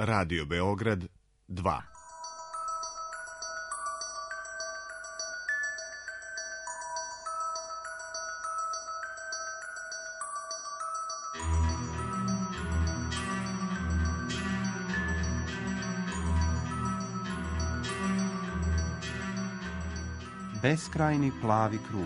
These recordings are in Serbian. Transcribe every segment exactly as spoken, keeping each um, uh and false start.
Radio Beograd dva. Beskrajni plavi krug.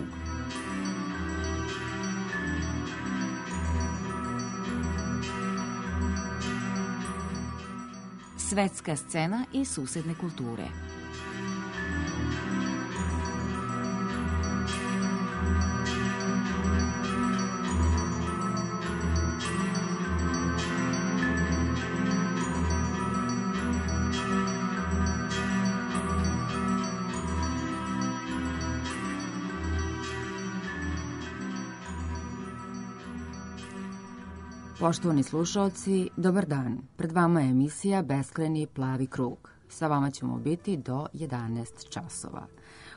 Svetska scena i susedne kulture. Poštovani slušalci, dobar dan. Pred vama je emisija Beskrajni plavi krug. Sa vama ćemo biti do jedanaest časova.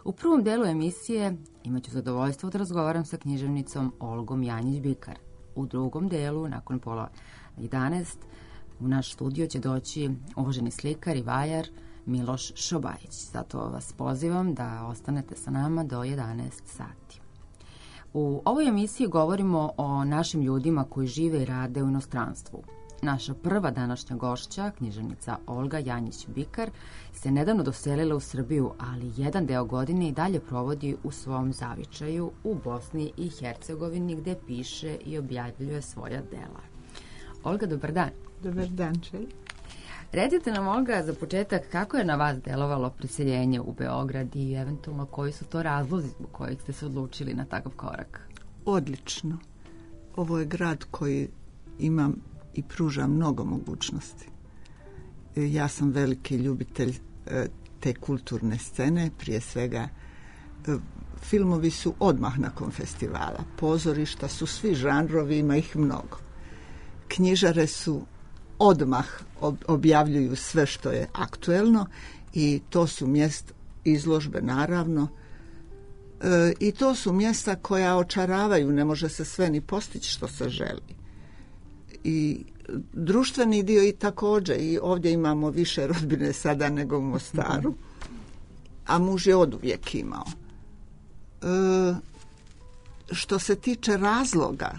U prvom delu emisije imaću zadovoljstvo da razgovaram sa književnicom Olgom Janjić-Bikar. U drugom delu, nakon pola jedanaest, u naš studio će doći uvaženi slikar i vajar Miloš Šobajić. Zato vas pozivam da ostanete sa nama do jedanaest sati. U ovoj emisiji govorimo o našim ljudima koji žive i rade u inostranstvu. Naša prva današnja gošća, književnica Olga Janjić-Bikar, se nedavno doselila u Srbiju, ali jedan deo godine i dalje provodi u svom zavičaju u Bosni i Hercegovini, gde piše i objavljuje svoja dela. Olga, dobar dan. Dobar dan, Čelj. Recite nam, Olga, za početak, kako je na vas delovalo preseljenje u Beograd i eventualno koji su to razlozi zbog kojih ste se odlučili na takav korak? Odlično. Ovo je grad koji ima i pruža mnogo mogućnosti. Ja sam veliki ljubitelj te kulturne scene, prije svega filmovi su odmah nakon festivala, pozorišta su svi žanrovi, ima ih mnogo. Knjižare su odmah objavljuju sve što je aktuelno i to su mjesta, izložbe naravno, e, i to su mjesta koja očaravaju, ne može se sve ni postići što se želi. I društveni dio i također, i ovdje imamo više rodbine sada nego u Mostaru, a muž je oduvijek imao. E, što se tiče razloga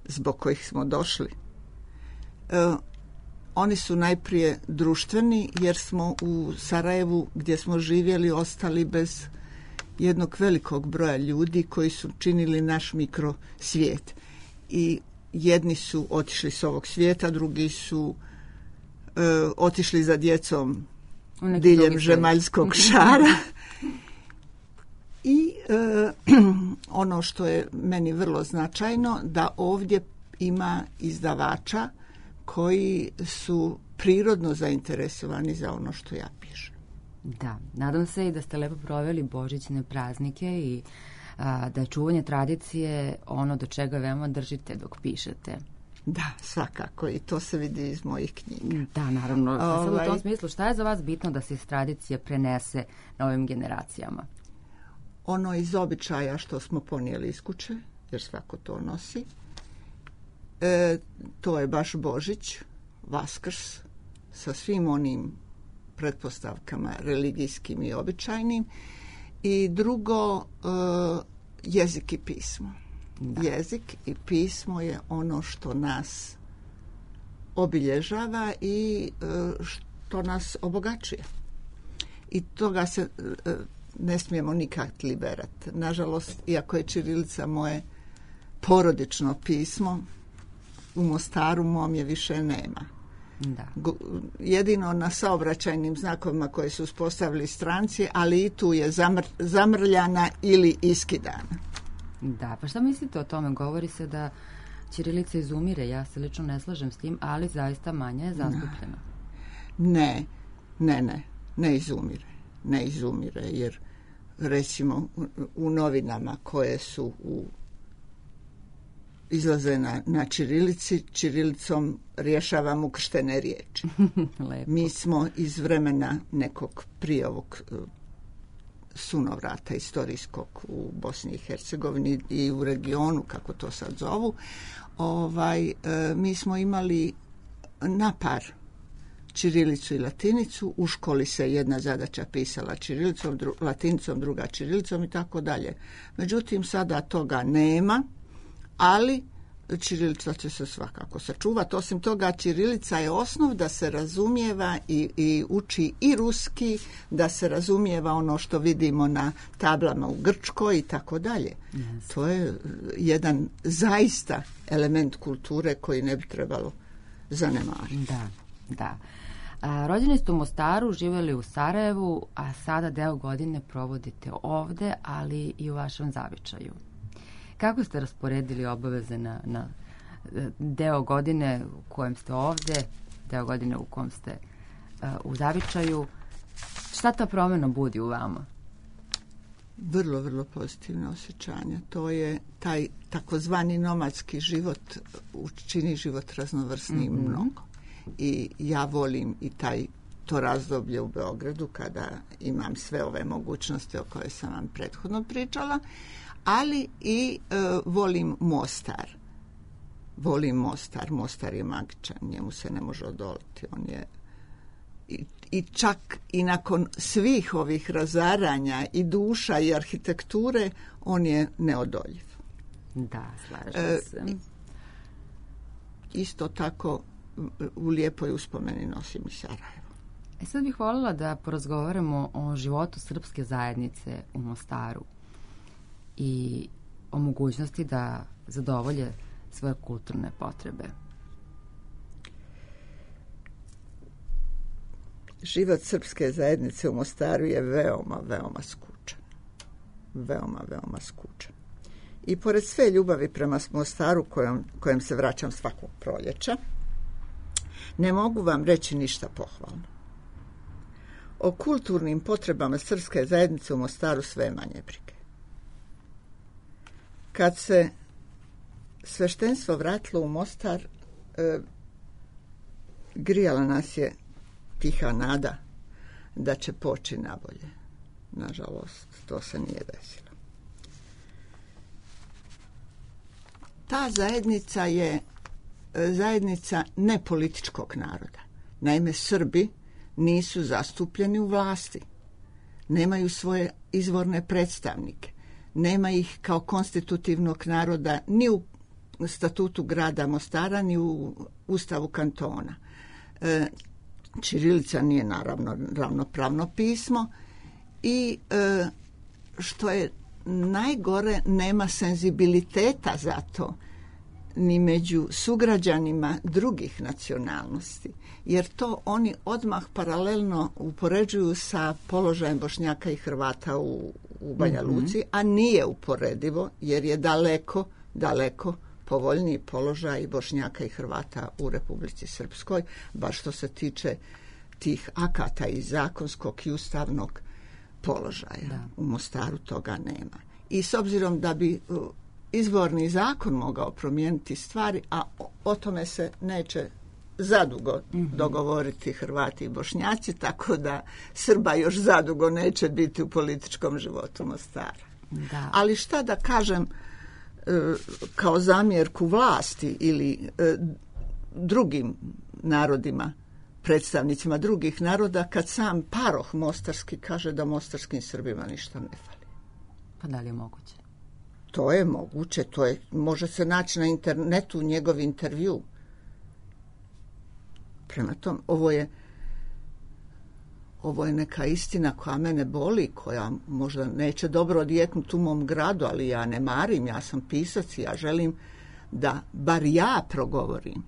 zbog kojih smo došli, Uh, oni su najprije društveni, jer smo u Sarajevu gdje smo živjeli ostali bez jednog velikog broja ljudi koji su činili naš mikrosvijet. I jedni su otišli s ovog svijeta, drugi su uh, otišli za djecom diljem žemaljskog šara. I uh, ono što je meni vrlo značajno, da ovdje ima izdavača koji su prirodno zainteresovani za ono što ja pišem. Da, nadam se i da ste lepo proveli božićne praznike i a, da je čuvanje tradicije ono do čega veoma držite dok pišete. Da, svakako, i to se vidi iz mojih knjiga. Da, naravno. Ovaj... Sad u tom smislu, šta je za vas bitno da se iz tradicije prenese novim generacijama? Ono iz običaja što smo ponijeli iz kuće, jer svako to nosi. E, to je baš Božić, Vaskrs, sa svim onim pretpostavkama religijskim i običajnim. I drugo, e, jezik i pismo. Da. Jezik i pismo je ono što nas obilježava i e, što nas obogaćuje. I toga se e, ne smijemo nikad liberati. Nažalost, iako je ćirilica moje porodično pismo, u Mostaru mom je više nema. Da. Jedino na saobraćajnim znakovima koje su uspostavili stranci, ali i tu je zamr, zamrljana ili iskidana. Da, pa šta mislite o tome? Govori se da ćirilica izumire, ja se lično ne slažem s tim, ali zaista manje je zastupljena. Ne, ne, ne, ne izumire. Ne izumire, jer recimo u, u novinama koje su u izlaze na, na ćirilici, ćirilicom rješavamo ukrštene riječi. Mi smo iz vremena nekog prije ovog sunovrata istorijskog u Bosni i Hercegovini i u regionu, kako to sad zovu, ovaj, e, mi smo imali napar ćirilicu i latinicu, u školi se jedna zadaća pisala ćirilicom, dru, latinicom, druga ćirilicom i tako dalje. Međutim, sada toga nema, ali ćirilica će se svakako sačuvati. Osim toga, ćirilica je osnov da se razumijeva i, i uči i ruski, da se razumijeva ono što vidimo na tablama u Grčkoj i tako dalje. Yes. To je jedan zaista element kulture koji ne bi trebalo zanemariti. Da, da. A, rođeni ste u Mostaru, živjeli u Sarajevu, a sada deo godine provodite ovde, ali i u vašem zavičaju. Kako ste rasporedili obaveze na, na deo godine u kojem ste ovde, deo godine u kojem ste uh, u zavičaju? Šta ta promjena budi u vama? Vrlo, vrlo pozitivne osjećanja. To je taj takozvani nomadski život učini život raznovrsnijim mm-hmm. mnogo. I ja volim i taj to razdoblje u Beogradu kada imam sve ove mogućnosti o koje sam vam prethodno pričala, ali i e, volim Mostar. Volim Mostar. Mostar je magičan, njemu se ne može odoliti. On je i, i čak i nakon svih ovih razaranja i duša i arhitekture, on je neodoljiv. Da, slažem se. E, isto tako u lijepoj uspomeni nosim i Sarajevo. E sad bih voljela da porazgovaramo o životu srpske zajednice u Mostaru i o mogućnosti da zadovolje svoje kulturne potrebe. Život srpske zajednice u Mostaru je veoma, veoma skučan. Veoma, veoma skučan. I pored sve ljubavi prema Mostaru kojom, kojem se vraćam svakog proljeća, ne mogu vam reći ništa pohvalno. O kulturnim potrebama srpske zajednice u Mostaru sve manje brige. Kad se sveštenstvo vratilo u Mostar, e, grijala nas je tiha nada da će poći nabolje. Nažalost, to se nije desilo. Ta zajednica je zajednica nepolitičkog naroda. Naime, Srbi nisu zastupljeni u vlasti. Nemaju svoje izvorne predstavnike. Nema ih kao konstitutivnog naroda ni u statutu grada Mostara, ni u ustavu kantona. E, ćirilica nije naravno ravnopravno pismo i e, što je najgore, nema senzibiliteta za to ni među sugrađanima drugih nacionalnosti, jer to oni odmah paralelno upoređuju sa položajem Bošnjaka i Hrvata u, u Banja Luci, mm-hmm. a nije uporedivo, jer je daleko, daleko povoljniji položaj Bošnjaka i Hrvata u Republici Srpskoj, baš što se tiče tih akata i zakonskog i ustavnog položaja. Da. U Mostaru toga nema. I s obzirom da bi izvorni zakon mogao promijeniti stvari, a o, o tome se neće zadugo mm-hmm. dogovoriti Hrvati i Bošnjaci, tako da Srba još zadugo neće biti u političkom životu Mostara. Da. Ali šta da kažem e, kao zamjerku vlasti ili e, drugim narodima, predstavnicima drugih naroda, kad sam paroh mostarski kaže da mostarskim Srbima ništa ne fali. Pa da li je moguće? To je moguće, to je, može se naći na internetu njegov intervju. Prema tom, ovo je ovo je neka istina koja mene boli, koja možda neće dobro odjeknuti u mom gradu, ali ja ne marim, ja sam pisac i ja želim da bar ja progovorim.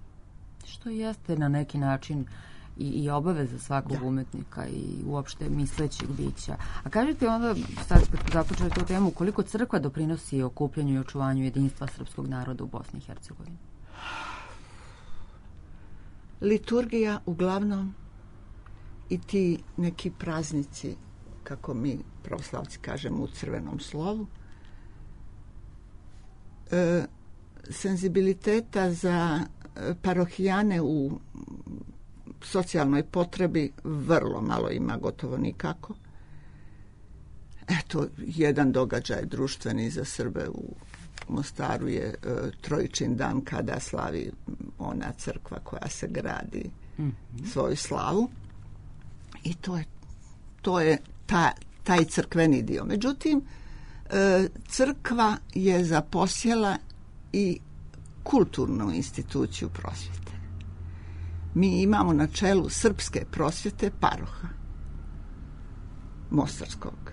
Što jeste na neki način i, i obaveza svakog da. umetnika i uopšte mislećeg bića. A kažete onda, sad kad započeli tu temu, koliko crkva doprinosi okupljanju i očuvanju jedinstva srpskog naroda u Bosni i Hercegovini? Liturgija uglavnom i ti neki praznici, kako mi pravoslavci kažemo u crvenom slovu, e, senzibiliteta za parohijane u socijalnoj potrebi vrlo malo ima, gotovo nikako. Eto, jedan događaj društveni za Srbe u Mostaru je e, Trojičin dan kada slavi ona crkva koja se gradi mm-hmm. svoju slavu i to je, to je ta, taj crkveni dio. Međutim, crkva je zaposjela i kulturnu instituciju prosvjete. Mi imamo na čelu srpske prosvjete paroha mostarskog.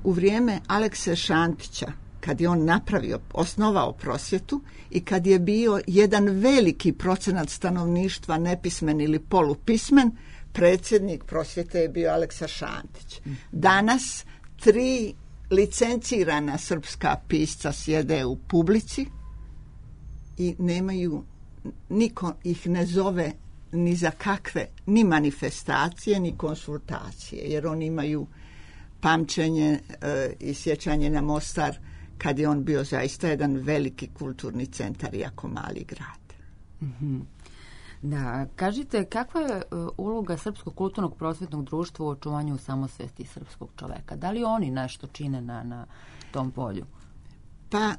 U vrijeme Alekse Šantića, kad je on napravio, osnovao prosvjetu i kad je bio jedan veliki procenat stanovništva nepismen ili polupismen, predsjednik prosvjete je bio Aleksa Šantić. Danas tri licencirana srpska pisca sjede u publici i nemaju, niko ih ne zove ni za kakve, ni manifestacije, ni konsultacije, jer oni imaju pamćenje e, i sjećanje na Mostar kad je on bio zaista jedan veliki kulturni centar, iako mali grad. Mm-hmm. Da, kažite, kakva je uloga Srpskog kulturnog prosvjetnog društva u očuvanju samosvesti srpskog čoveka? Da li oni nešto čine na, na tom polju? Pa,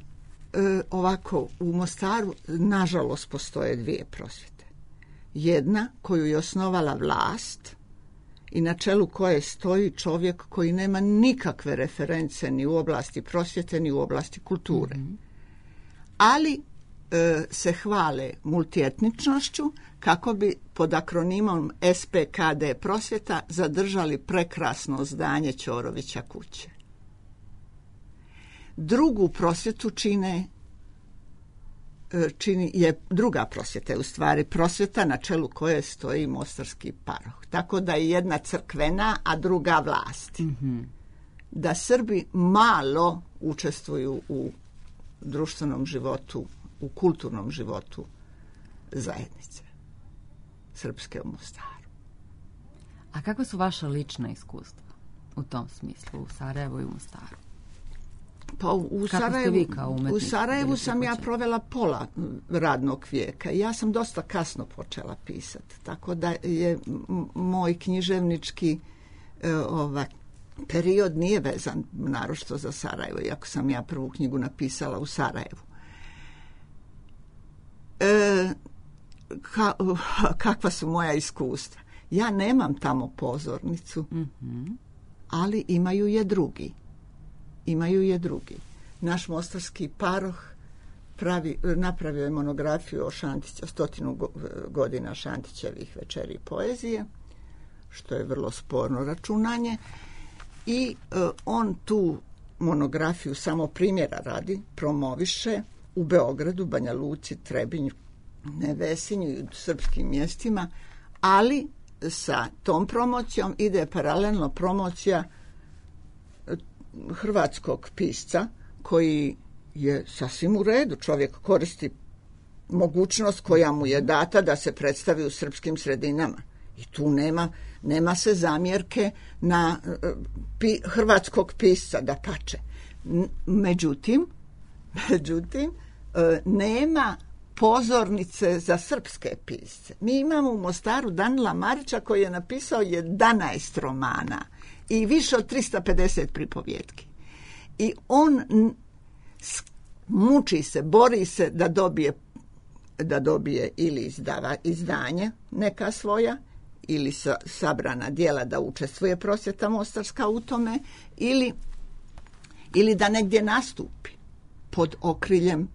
e, ovako, u Mostaru, nažalost, postoje dvije prosvjete. Jedna koju je osnovala vlast i na čelu koje stoji čovjek koji nema nikakve reference ni u oblasti prosvjete, ni u oblasti kulture. Mm-hmm. Ali e, se hvale multietničnošću kako bi pod akronimom S P K D prosvjeta zadržali prekrasno zdanje Ćorovića kuće. Drugu prosvjetu čine, čini, je druga prosvjeta, je u stvari prosvjeta na čelu koje stoji mostarski paroh. Tako da je jedna crkvena, a druga vlasti. Mm-hmm. Da Srbi malo učestvuju u društvenom životu, u kulturnom životu zajednice srpske u Mostaru. A kakva su vaša lična iskustva u tom smislu, u Sarajevu i u Mostaru? Pa u Sarajevu, u Sarajevu sam ja provela pola radnog vijeka. Ja sam dosta kasno počela pisati, tako da je moj književnički e, ovaj, period nije vezan naročito za Sarajevo, iako sam ja prvu knjigu napisala u Sarajevu. E, ka, kakva su moja iskustva? Ja nemam tamo pozornicu, mm-hmm. ali imaju je drugi. Imaju je drugi. Naš mostarski paroh pravi, napravio je monografiju o Šantića, stotinu godina Šantićevih večeri poezije, što je vrlo sporno računanje. I e, on tu monografiju samo primjera radi promoviše u Beogradu, Banja Luci, Trebinju, Nevesinju i u srpskim mjestima, ali sa tom promocijom ide paralelno promocija hrvatskog pisca koji je sasvim u redu. Čovjek koristi mogućnost koja mu je data da se predstavi u srpskim sredinama. I tu nema, nema se zamjerke na pi, hrvatskog pisca, da pače. Međutim, međutim, nema pozornice za srpske pisce. Mi imamo u Mostaru Danila Marića koji je napisao jedanaest romana i više od tristo pedeset pripovjetki. I on muči se, bori se da dobije, da dobije ili izdava, izdanje neka svoja, ili sa, sabrana djela da učestvuje prosvjeta mostarska u tome, ili, ili da negdje nastupi pod okriljem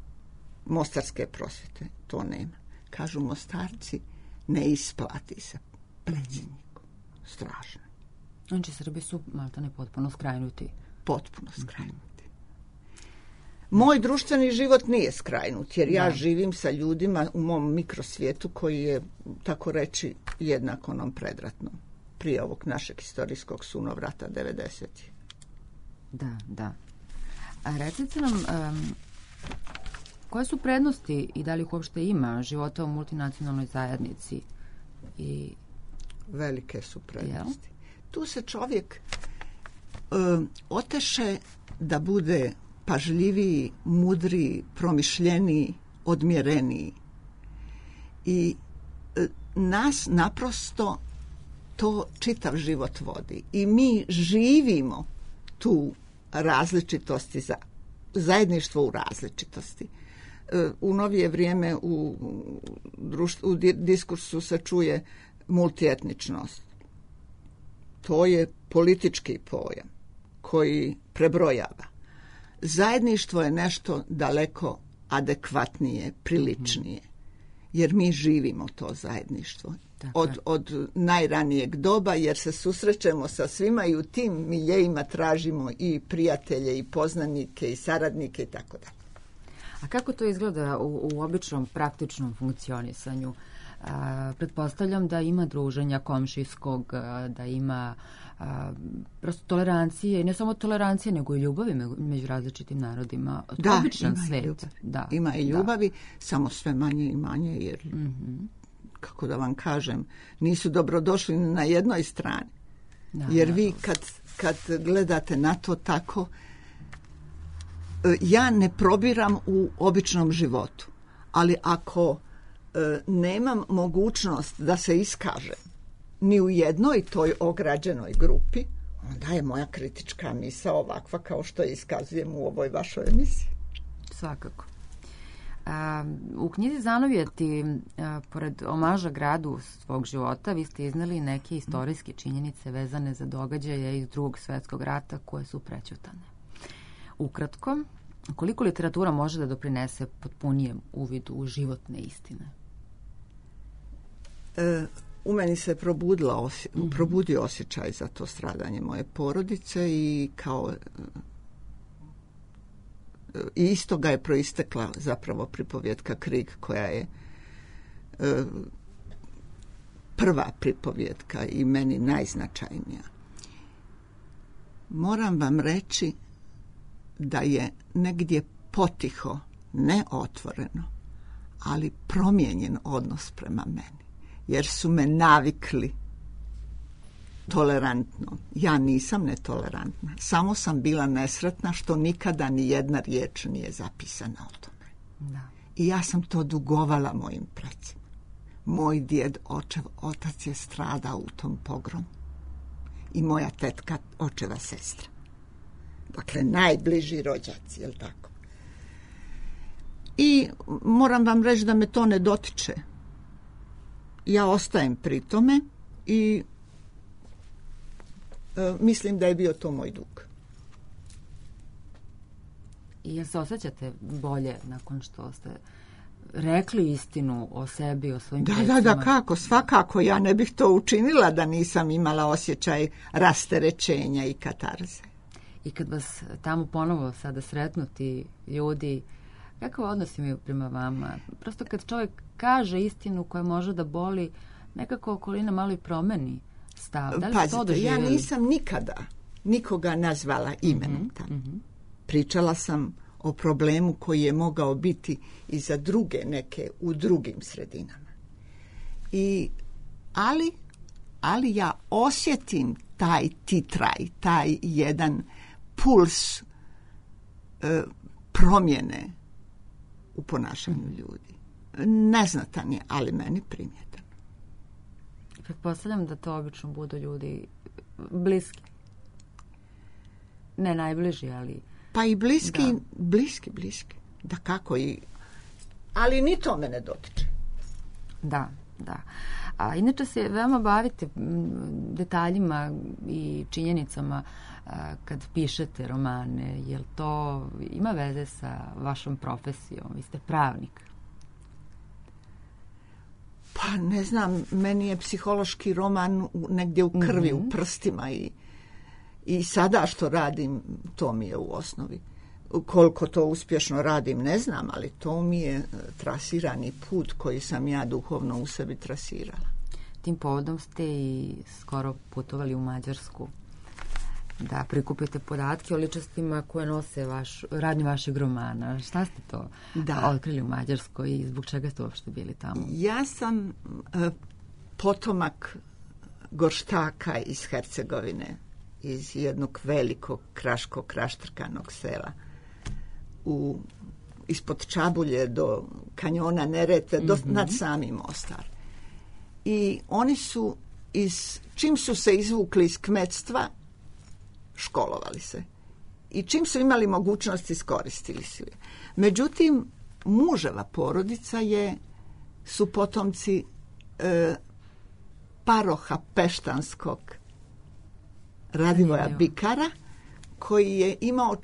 mostarske prosvjete. To nema. Kažu Mostarci, ne isplati se predsjedniku. Strašno. Znači, Srbi su maltene potpuno skrajnuti. Potpuno skrajnuti. Moj društveni život nije skrajnut, jer ja da. živim sa ljudima u mom mikrosvijetu koji je, tako reći, jednak onom predratnom. Prije ovog našeg historijskog sunovrata devedesetih. Da, da. A recite nam, um, koje su prednosti i da li ih uopšte ima života u multinacionalnoj zajednici? I... Velike su prednosti. Jel? Tu se čovjek um, oteše da bude pažljiviji, mudriji, promišljeniji, odmjereniji. I e, nas naprosto to čitav život vodi. I mi živimo tu različitosti, za, zajedništvo u različitosti. E, u novije vrijeme u, društvu, u diskursu se čuje multietničnost. To je politički pojam koji prebrojava. Zajedništvo je nešto daleko adekvatnije, priličnije, jer mi živimo to zajedništvo. Od, od najranijeg doba, jer se susrećemo sa svima i u tim miljejima tražimo i prijatelje, i poznanike, i saradnike i tako dalje. A kako to izgleda u, u običnom praktičnom funkcionisanju? A, pretpostavljam da ima druženja komšijskog, a, da ima a, prosto tolerancije, i ne samo tolerancije, nego i ljubavi među različitim narodima. Da, običan ima svet. I ljubav. Da, ima i da. ljubavi, samo sve manje i manje, jer, mm-hmm. kako da vam kažem, nisu dobrodošli na jednoj strani. Da, jer vi kad, kad gledate na to tako, ja ne probiram u običnom životu, ali ako e, nemam mogućnost da se iskažem ni u jednoj toj ograđenoj grupi, onda je moja kritička misao ovakva kao što je iskazujem u ovoj vašoj emisiji. Svakako. A, u knjizi Zanovjeti, a, pored omaža gradu svog života, vi ste iznali neke istorijske činjenice vezane za događaje iz Drugog svjetskog rata koje su prećutane. Ukratko, koliko literatura može da doprinese potpunijem uvidu u životne istine? E, u meni se probudila osje, mm-hmm. probudio osjećaj za to stradanje moje porodice i kao i iz toga je proistekla zapravo pripovjetka Krig, koja je e, prva pripovjetka i meni najznačajnija. Moram vam reći da je negdje potiho, ne otvoreno, ali promijenjen odnos prema meni. Jer su me navikli tolerantno. Ja nisam netolerantna. Samo sam bila nesretna što nikada ni jedna riječ nije zapisana o tome. Da. I ja sam to dugovala mojim precima. Moj djed, očev, otac je stradao u tom pogromu. I moja tetka, očeva sestra. Dakle, najbliži rođaci, je li tako? I moram vam reći da me to ne dotiče. Ja ostajem pri tome i e, mislim da je bio to moj dug. I jel se osjećate bolje nakon što ste rekli istinu o sebi, o svojim da, precima? Da, da, kako, svakako. Ja ne bih to učinila da nisam imala osjećaj rasterećenja i katarze. I kad vas tamo ponovo sada sretnu ti ljudi, kakav odnos imaju prema vama? Prosto kad čovjek kaže istinu koja može da boli, nekako okolina malo i promeni stav. Da li Pazite, to doživjeli? Ja nisam nikada nikoga nazvala imenom mm-hmm, tamo. Mm-hmm. Pričala sam o problemu koji je mogao biti i za druge neke u drugim sredinama. I, ali, ali ja osjetim taj titraj, taj jedan puls e, promjene u ponašanju ljudi. Neznatan je, ali meni primjetan. Pretpostavljam da to obično budu ljudi bliski. Ne najbliži, ali... Pa i bliski, da. bliski, bliski. Da kako i... Ali ni to me ne dotiče. Da, da. A inače se veoma bavite detaljima i činjenicama a, kad pišete romane. Jel to ima veze sa vašom profesijom? Vi ste pravnik. Pa ne znam, meni je psihološki roman negdje u krvi, mm-hmm. u prstima i, i sada što radim, to mi je u osnovi. Koliko to uspješno radim, ne znam, ali to mi je trasirani put koji sam ja duhovno u sebi trasirala. Tim povodom ste i skoro putovali u Mađarsku da prikupite podatke o ličnostima koje nose vaš, radnju vašeg romana. Šta ste to da. otkrili u Mađarskoj i zbog čega ste uopšte bili tamo? Ja sam e, potomak Gorštaka iz Hercegovine, iz jednog velikog kraškog kraštrkanog sela. U, ispod Čabulje do kanjona Neretve, do, mm-hmm. nad samim Mostar. I oni su, iz, čim su se izvukli iz kmetstva, školovali se. I čim su imali mogućnost, iskoristili su je. Međutim, muževa porodica je, su potomci e, paroha peštanskog Radivoja Bikara, koji je imao,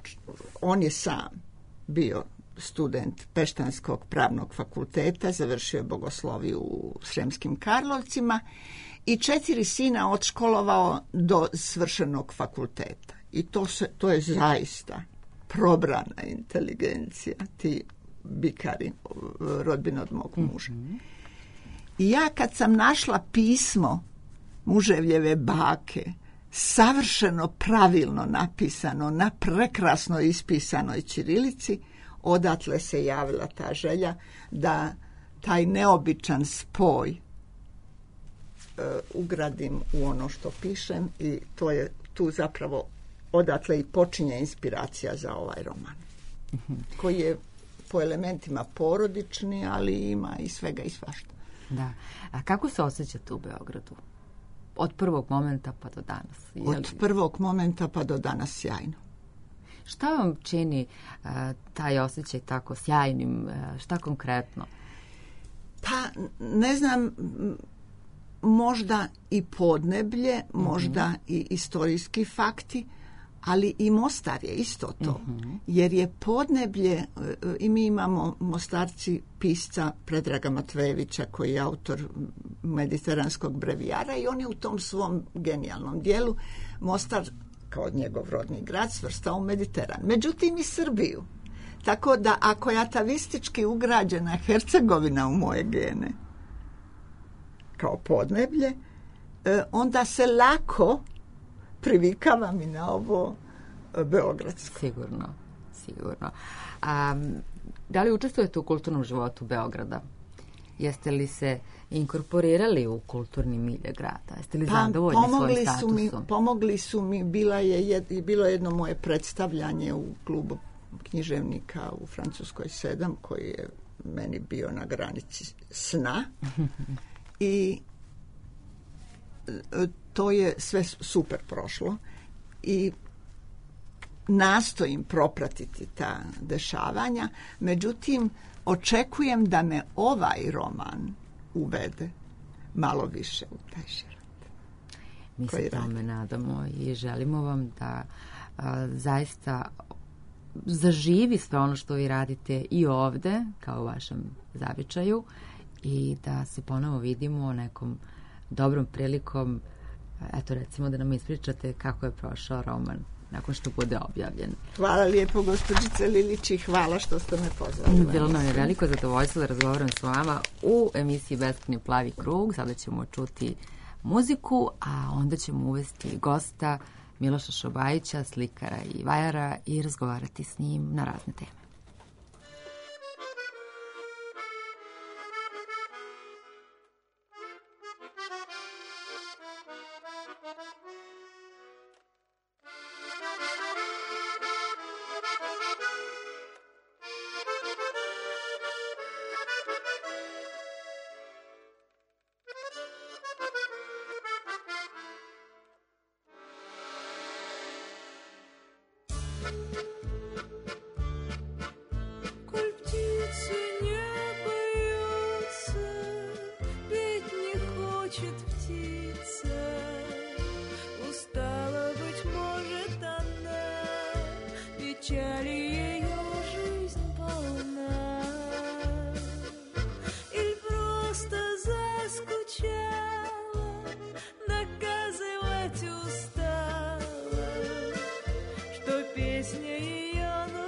on je sam bio student Peštanskog pravnog fakulteta, završio je bogosloviju u Sremskim Karlovcima i četiri sina odškolovao do svršenog fakulteta. I to, se, to je zaista probrana inteligencija, ti Bikari, rodbina od mog muža. Mm-hmm. I ja kad sam našla pismo muževljeve bake, savršeno pravilno napisano, na prekrasno ispisanoj ćirilici, odatle se javila ta želja da taj neobičan spoj e, ugradim u ono što pišem i to je tu zapravo odatle i počinje inspiracija za ovaj roman, mm-hmm. koji je po elementima porodični, ali ima i svega i svašta. Da. A kako se osjećate u Beogradu? Od prvog momenta pa do danas? Je li... Od prvog momenta pa do danas sjajno. Šta vam čini uh, taj osjećaj tako sjajnim? Uh, šta konkretno? Pa, ne znam, možda i podneblje, mm-hmm. možda i istorijski fakti, ali i Mostar je isto to. Mm-hmm. Jer je podneblje, i mi imamo Mostarci pisca Predraga Matvejevića, koji je autor Mediteranskog brevijara i on je u tom svom genijalnom dijelu Mostar, kao njegov rodni grad, svrstao u Mediteran. Međutim i Srbiju. Tako da ako je atavistički ugrađena Hercegovina u moje gene, kao podneblje, onda se lako privikavam i na ovo beogradsko. Sigurno, sigurno. A, da li učestvujete u kulturnom životu Beograda? Jeste li se inkorporirali u kulturni milje grada? Jeste li pa, zadovoljni svojim statusom? Su mi, pomogli su mi, bila je jed, bilo jedno moje predstavljanje u klubu književnika u Francuskoj sedam, koji je meni bio na granici sna. I to je sve super prošlo i nastojim propratiti ta dešavanja, međutim očekujem da me ovaj roman uvede malo više u taj život. Mi se tome nadamo i želimo vam da a, zaista zaživi sve ono što vi radite i ovde, kao u vašem zavičaju, i da se ponovo vidimo nekom dobrom prilikom, eto recimo da nam ispričate kako je prošao roman nakon što bude objavljen. Hvala lijepo, gospođice Lilić, i hvala što ste me pozvali. Bilo nam je veliko zadovoljstvo da razgovaram s vama u emisiji Beskrajni plavi krug. Sada ćemo čuti muziku, a onda ćemo uvesti gosta Miloša Šobajića, slikara i vajara, i razgovarati s njim na razne teme. Песня ее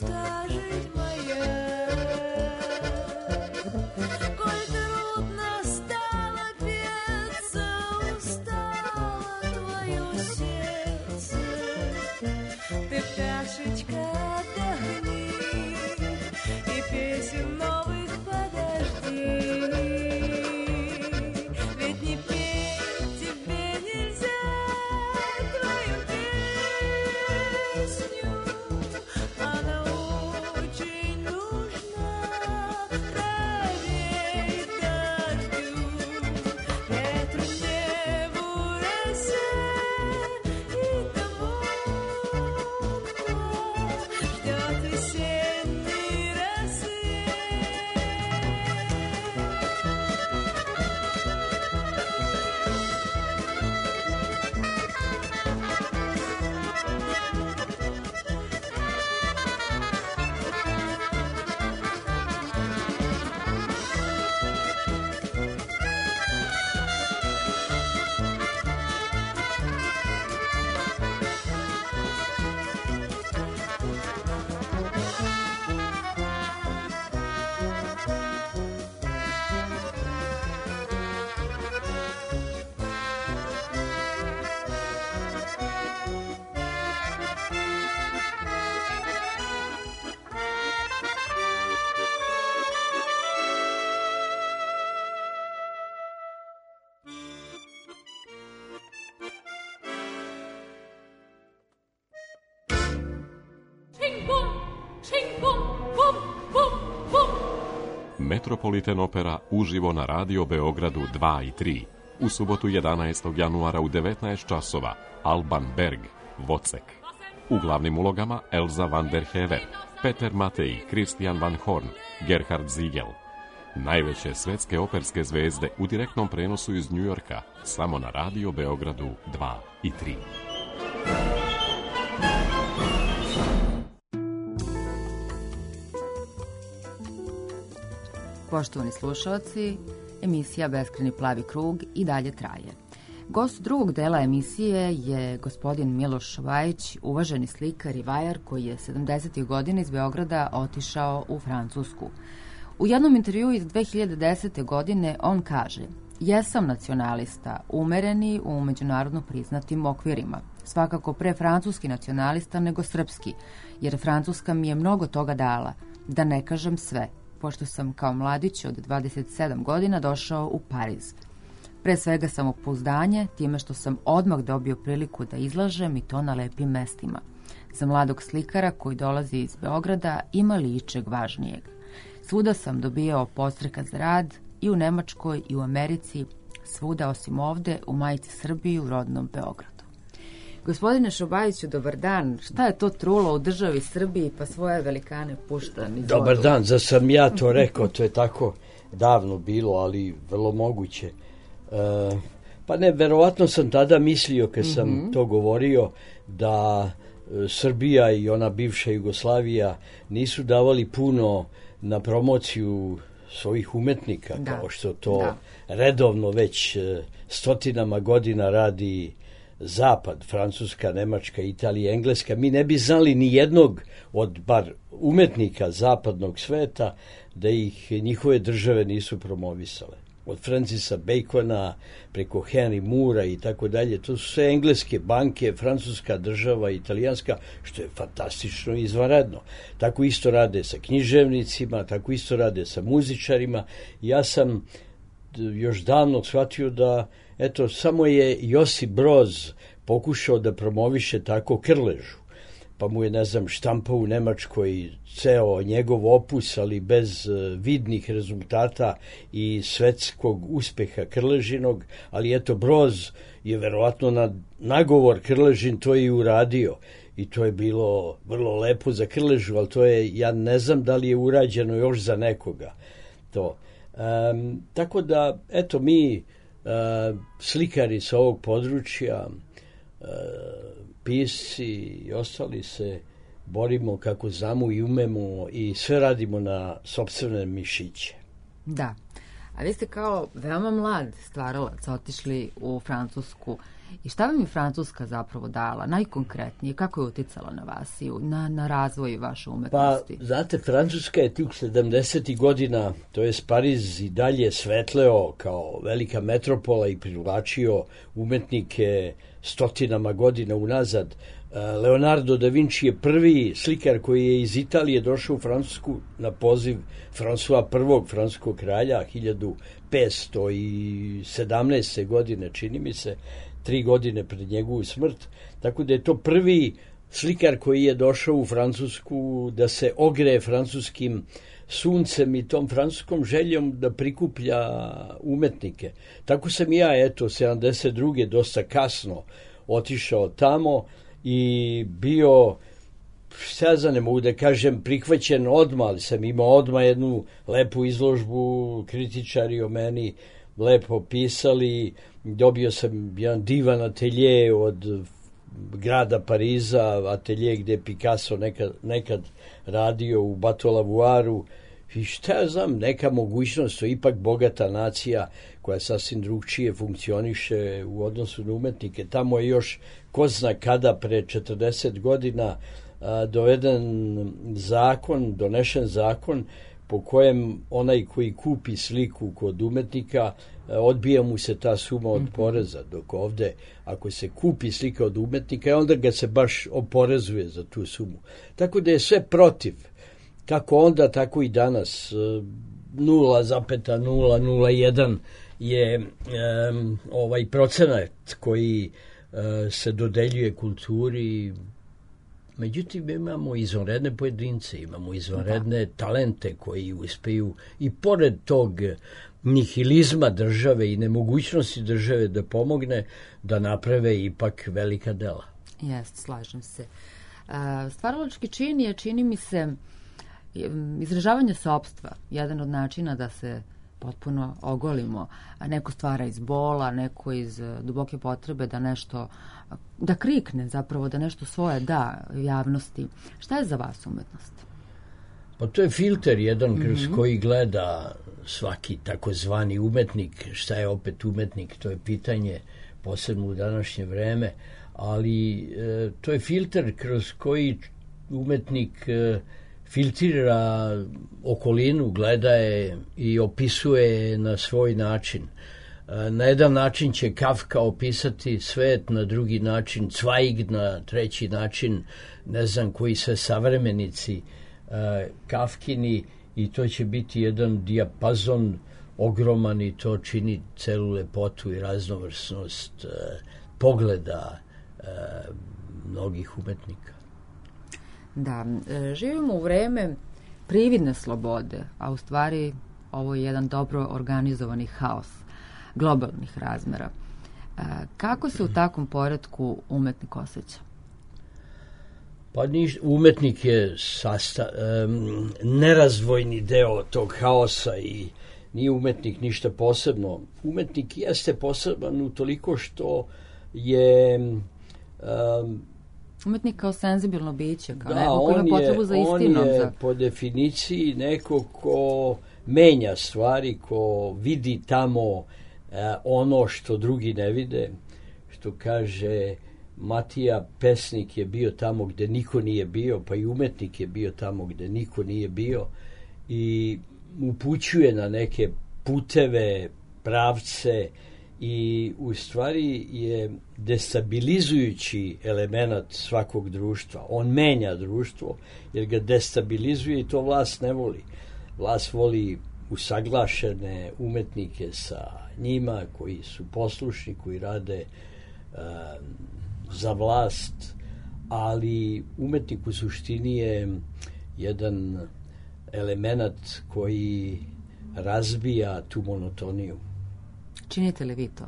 мечта жить моя. Коль трудно стало петься, устало твое сердце, ты, пташечка, отдохни и песен новых подожди. Ведь не петь тебе нельзя твою песню, она очень нужна траве и дождю, ветру, небу, росе и тому, кто ждет весенний рассвет. Metropolitan Opera uživo na Radio Beogradu dva i tri. U subotu jedanaestog januara u devetnaest časova Alban Berg, Vocek. U glavnim ulogama Elza van der Hever, Peter Matej, Christian van Horn, Gerhard Ziegel. Najveće svetske operske zvezde u direktnom prenosu iz Njujorka samo na Radio Beogradu dva i tri. Poštovani slušalci, emisija Beskrajni plavi krug i dalje traje. Gost drugog dela emisije je gospodin Miloš Šobajić, uvaženi slikar i vajar koji je sedamdesetih godina iz Beograda otišao u Francusku. U jednom intervjuu iz dve hiljade desete. godine on kaže: "Jesam nacionalista, umereni u međunarodno priznatim okvirima. Svakako pre francuski nacionalista nego srpski, jer Francuska mi je mnogo toga dala, da ne kažem sve, pošto sam kao mladić od dvadeset sedam godina došao u Pariz. Pre svega samopouzdanje, time što sam odmah dobio priliku da izlažem i to na lepim mestima. Za mladog slikara koji dolazi iz Beograda ima li ičeg važnijeg. Svuda sam dobijao podstreka za rad, i u Nemačkoj i u Americi, svuda osim ovde, u majici Srbiji, u rodnom Beogradu." Gospodine Šobajiću, dobar dan. Šta je to trulo u državi Srbiji pa svoje velikane pušta niz vodu? Dobar dan, za sam ja to rekao, to je tako davno bilo, ali vrlo moguće. E, pa ne, verovatno sam tada mislio, kad sam mm-hmm. to govorio, da e, Srbija i ona bivša Jugoslavija nisu davali puno na promociju svojih umetnika, da. Kao što to da. redovno već e, stotinama godina radi Zapad, Francuska, Nemačka, Italija, Engleska. Mi ne bi znali ni jednog od bar umetnika zapadnog sveta da ih njihove države nisu promovisale. Od Francisa Bacona preko Henry Moora i tako dalje. To su sve engleske banke, francuska država, italijanska, što je fantastično i izvanredno. Tako isto rade sa književnicima, tako isto rade sa muzičarima. Ja sam još davno shvatio da eto, samo je Josip Broz pokušao da promoviše tako Krležu, pa mu je, ne znam, štampao u Nemačkoj ceo njegov opus, ali bez vidnih rezultata i svetskog uspeha Krležinog, ali eto, Broz je verovatno na nagovor Krležin to i uradio i to je bilo vrlo lepo za Krležu, ali to je, ja ne znam da li je urađeno još za nekoga to. Um, tako da, eto, mi Uh, slikari sa ovog područja, uh, pisci i ostali se borimo kako znamo i umemo i sve radimo na sopstvene mišiće. Da, a vi ste kao veoma mlad stvaralac otišli u Francusku. I šta vam je Francuska zapravo dala, najkonkretnije, kako je uticala na vas i u- na, na razvoj vaše Pa, umetnosti? znate, Francuska je tih sedamdesetih godina, to je Pariz i dalje svetleo kao velika metropola i privlačio umetnike stotinama godina unazad. E, Leonardo da Vinci je prvi slikar koji je iz Italije došao u Francusku na poziv François prvog francuskog kralja hiljadu petsto sedamnaeste. godine, čini mi se, tri godine pred njegovu smrt. Tako da je to prvi slikar koji je došao u Francusku da se ogreje francuskim suncem i tom francuskom željom da prikuplja umetnike. Tako sam i ja, eto, sedamdeset druge dosta kasno otišao tamo i bio, šta ja znam, ne mogu da kažem prihvaćen odmah, ali sam imao odmah jednu lepu izložbu, kritičari o meni lepo pisali, dobio sam jedan divan atelje od grada Pariza, atelje gde je Picasso nekad, nekad radio u Bateau-Lavouaru, i šta ja znam, neka mogućnost, to je ipak bogata nacija koja sasvim drugčije funkcioniše u odnosu na umetnike. Tamo je još, ko zna kada, pre četrdeset godina a, doveden zakon, donešen zakon po kojem onaj koji kupi sliku kod umetnika, a, odbija mu se ta suma od poreza, dok ovde ako se kupi slika od umetnika, onda ga se baš oporezuje za tu sumu. Tako da je sve protiv. Kako onda, tako i danas. nula zarez nula nula jedan je um, ovaj procenat koji uh, se dodeljuje kulturi. Međutim, imamo izvanredne pojedince, imamo izvanredne talente koji uspeju i pored tog nihilizma države i nemogućnosti države da pomogne, da naprave ipak velika dela. Jest, slažem se. Uh, stvaralački čin je, čini mi se, izražavanje sopstva, jedan od načina da se potpuno ogolimo, a neko stvara iz bola, neko iz uh, duboke potrebe da nešto, da krikne zapravo, da nešto svoje da javnosti. Šta je za vas umetnost? Pa to je filter jedan kroz mm-hmm. koji gleda svaki takozvani umetnik. Šta je opet umetnik, to je pitanje posebno u današnje vreme, ali e, to je filter kroz koji umetnik e, filtrira okolinu, gleda je i opisuje na svoj način. Na jedan način će Kafka opisati svet, na drugi način Zweig, na treći način ne znam koji sve savremenici uh, Kafkini, i to će biti jedan dijapazon ogroman i to čini celu lepotu i raznovrsnost uh, pogleda uh, mnogih umetnika. Da, e, živimo u vreme prividne slobode, a u stvari ovo je jedan dobro organizovani haos globalnih razmera. E, kako se u takvom poretku umetnik osjeća? Pa niš, umetnik je sasta, um, nerazdvojni deo tog haosa i nije umetnik ništa posebno. Umetnik jeste poseban utoliko što je um, umetnik kao senzibilno biće, kao da, neko ko ima potrebu je, za istinom. On je za... po definiciji neko ko menja stvari, ko vidi tamo uh, ono što drugi ne vide, što kaže Matija, pesnik je bio tamo gde niko nije bio, pa i umetnik je bio tamo gde niko nije bio i upućuje na neke puteve, pravce i u stvari je destabilizujući element svakog društva. On menja društvo jer ga destabilizuje i to vlast ne voli. Vlast voli usaglašene umetnike sa njima koji su poslušni, koji rade uh, za vlast, ali umetnik u suštini je jedan element koji razbija tu monotoniju. Činite li vi to?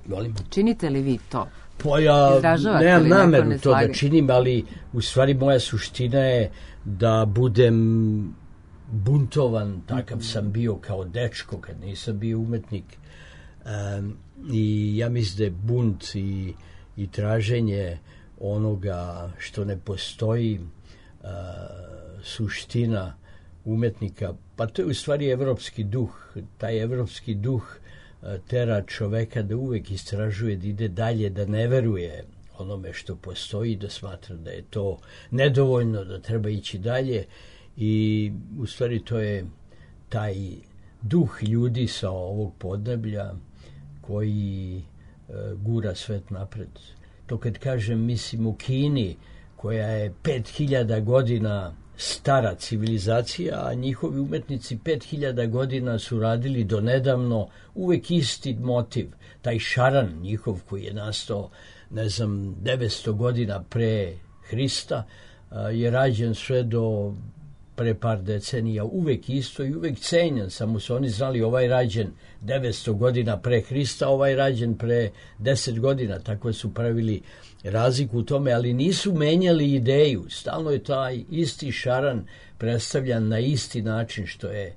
Molim? Činite li vi to? Pa ja Izražavate nemam li neko nameru to neslaganje? da činim, ali u stvari moja suština je da budem buntovan, takav sam bio kao dečko kad nisam bio umetnik. Um, I ja mislim da je bunt i, i traženje onoga što ne postoji uh, suština umetnika. Pa to je u stvari evropski duh. Taj evropski duh e, tera čoveka da uvek istražuje, da ide dalje, da ne veruje onome što postoji, da smatra da je to nedovoljno, da treba ići dalje. I u stvari to je taj duh ljudi sa ovog podneblja koji e, gura svet napred. To kad kažem, mislim u Kini, koja je pet hiljada godina stara civilizacija, a njihovi umetnici pet hiljada godina su radili do nedavno uvek isti motiv. Taj šaran njihov koji je nastao, ne znam, devetsto godina pre Hrista, a, je rađen sve do pre par decenija, uvek isto i uvek cenjen, samo su oni znali ovaj rađen devetsto godina pre Hrista, ovaj rađen pre deset godina, tako su pravili razliku u tome, ali nisu menjali ideju, stalno je taj isti šaran predstavljan na isti način, što je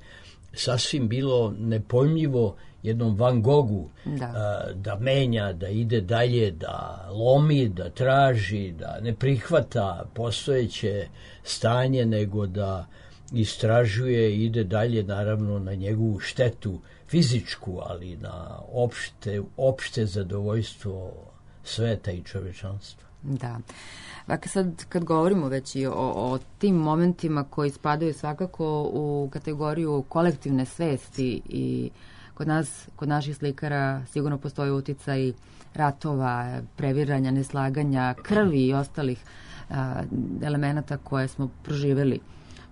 sasvim bilo nepojmljivo jednom Van Gogu Da. a, da menja, da ide dalje, da lomi, da traži, da ne prihvata postojeće stanje, nego da istražuje i ide dalje, naravno na njegovu štetu fizičku, ali na opšte, opšte zadovoljstvo sveta i čovečanstva. Da. Dakle, sad kad govorimo već i o, o tim momentima koji spadaju svakako u kategoriju kolektivne svesti i kod nas, kod naših slikara sigurno postoji uticaj ratova, previranja, neslaganja, krvi i ostalih a, elemenata koje smo proživjeli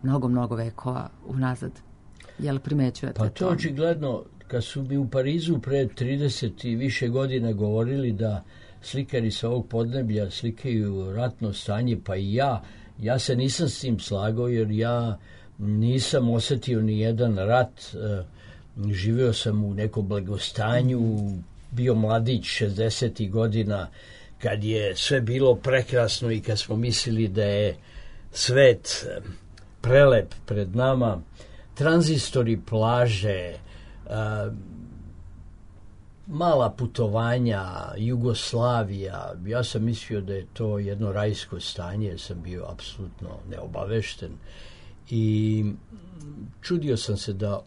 mnogo, mnogo vekova unazad. Jel primećujete Pa to očigledno, kad su mi u Parizu pre trideset i više godina govorili da slikari sa ovog podneblja slikaju ratno stanje, pa i ja, ja se nisam s tim slagao, jer ja nisam osetio ni jedan rat. E, živeo sam u nekom blagostanju, bio mladić šezdesetih godina, kad je sve bilo prekrasno i kad smo mislili da je svet prelep pred nama, tranzistori, plaže, a, mala putovanja, Jugoslavija. Ja sam mislio da je to jedno rajsko stanje, jer sam bio apsolutno neobavešten. I čudio sam se da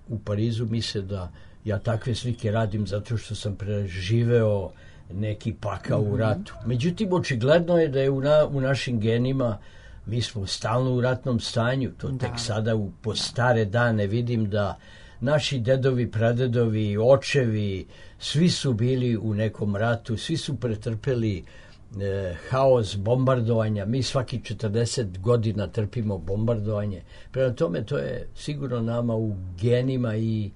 u Parizu misle da ja takve slike radim zato što sam preživeo neki pakao u ratu. Međutim, očigledno je da je u, na, u našim genima, mi smo stalno u ratnom stanju. To Da. tek sada u, po stare dane vidim da naši dedovi, pradedovi, očevi, svi su bili u nekom ratu, svi su pretrpeli e, haos bombardovanja. Mi svaki četrdeset godina trpimo bombardovanje. Prema tome, to je sigurno nama u genima i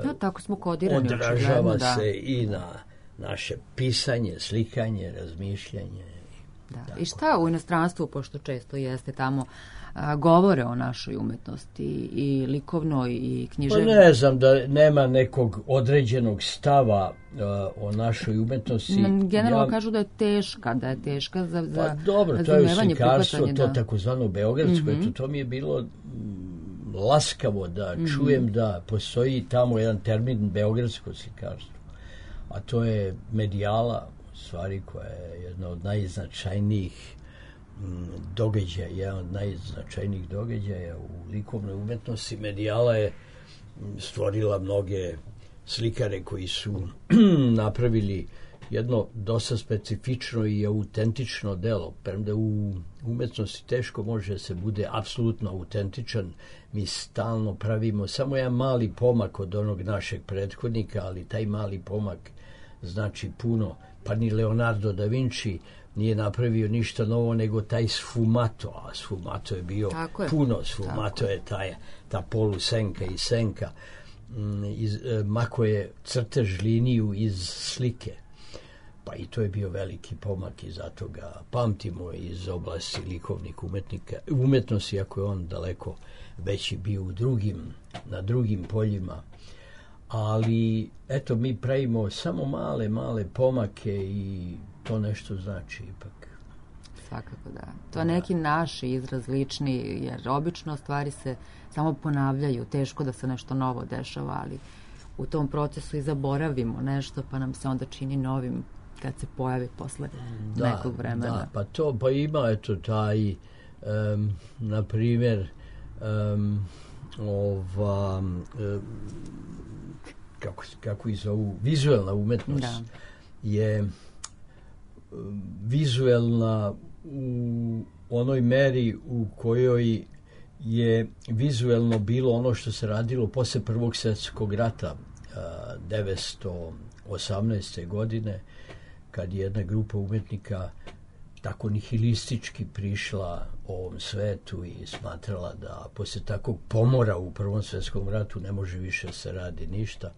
No, tako smo kodirani. odražava očigledno, da. se i na naše pisanje, slikanje, razmišljanje. Da. I šta u inostranstvu, pošto često jeste tamo, a, govore o našoj umetnosti i likovnoj i Pa književnoj? ne znam da nema nekog određenog stava uh, o našoj umetnosti. N- Generalno Ja- kažu da je teška, da je teška za, za Pa dobro, to je razumevanje, slikarstvo, prihvatanje, to da. takozvano beogradsko, eto, to mi je bilo mm, laskavo da čujem da postoji tamo jedan termin beogradsko slikarstvo, a to je medijala, u stvari, koja je jedna od najznačajnijih mm, događaja, jedan od najznačajnijih događaja u likovnoj umetnosti. Medijala je mm, stvorila mnoge slikare koji su napravili jedno dosta specifično i autentično delo. Premda u umetnosti teško može da se bude apsolutno autentičan. Mi stalno pravimo samo jedan mali pomak od onog našeg prethodnika, ali taj mali pomak znači puno. Pa ni Leonardo da Vinci nije napravio ništa novo nego taj sfumato, a sfumato je bio Tako je. puno. Sfumato Tako je taj, ta polusenka i senka. Mm, Iz, e, mako je crtež liniju iz slike. Pa i to je bio veliki pomak i zato ga pamtimo iz oblasti likovnih umetnika, umetnosti, iako je on daleko veći bio u drugim, na drugim poljima. Ali, eto, mi pravimo samo male, male pomake i to nešto znači ipak. Svakako da. To je neki naš izraz lični, jer obično stvari se samo ponavljaju. Teško da se nešto novo dešava, ali u tom procesu i zaboravimo nešto, pa nam se onda čini novim kad se pojavi posle nekog vremena. Da, pa to, pa ima, eto, taj, um, na primjer, um, ova, um, kako, kako ih zovu, vizuelna umetnost Da. je um, vizuelna u onoj meri u kojoj je vizuelno bilo ono što se radilo posle Prvog svjetskog rata a, devetsto osamnaeste. godine, kad je jedna grupa umetnika tako nihilistički prišla ovom svetu i smatrala da posle takvog pomora u Prvom svjetskom ratu ne može više se radi ništa,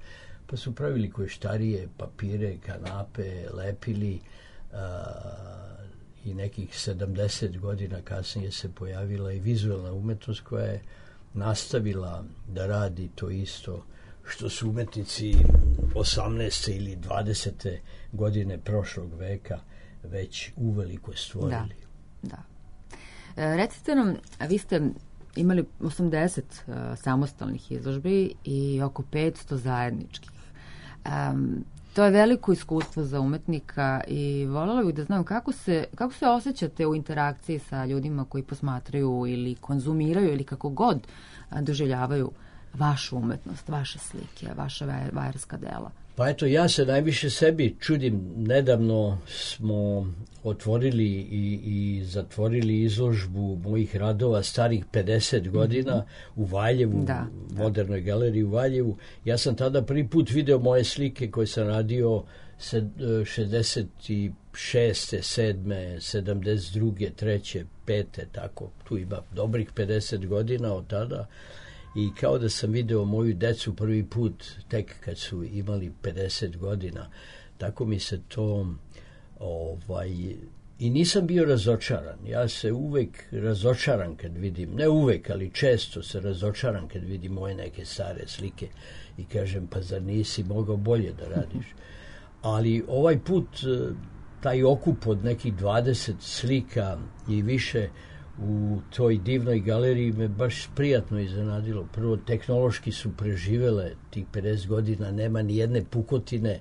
pa su pravili koještarije, papire, kanape, lepili, a, i nekih sedamdeset godina kasnije se pojavila i vizualna umetnost koja je nastavila da radi to isto što su umetnici osamnaeste ili dvadesete godine prošlog veka već uveliko stvorili. Da, da. E, recite nam, a vi ste imali osamdeset uh, samostalnih izložbi i oko petsto zajedničkih. Um, to je veliko iskustvo za umetnika i voljela bih da znam kako se, kako se osjećate u interakciji sa ljudima koji posmatraju ili konzumiraju ili kako god a, doživljavaju vašu umetnost, vaše slike, vaša vaj- vajarska dela. Pa eto, ja se najviše sebi čudim. Nedavno smo otvorili i, i zatvorili izložbu mojih radova starih pedeset godina mm-hmm. u Valjevu, Da, u Modernoj galeriji u Valjevu. Ja sam tada prvi put video moje slike koje sam radio sed, šezdeset šeste, sedme, sedamdeset druge, treće, pete, tako. Tu ima dobrih pedeset godina od tada. I kao da sam video moju decu prvi put tek kad su imali pedeset godina. Tako mi se to ovaj, i nisam bio razočaran. Ja se uvek razočaram kad vidim, ne uvek, ali često se razočaram kad vidim moje neke stare slike i kažem, pa zar nisi mogao bolje da radiš? Ali ovaj put taj okup od nekih dvadeset slika i više u toj divnoj galeriji me baš prijatno iznenadilo. Prvo, tehnološki su preživele tih pedeset godina, nema ni jedne pukotine,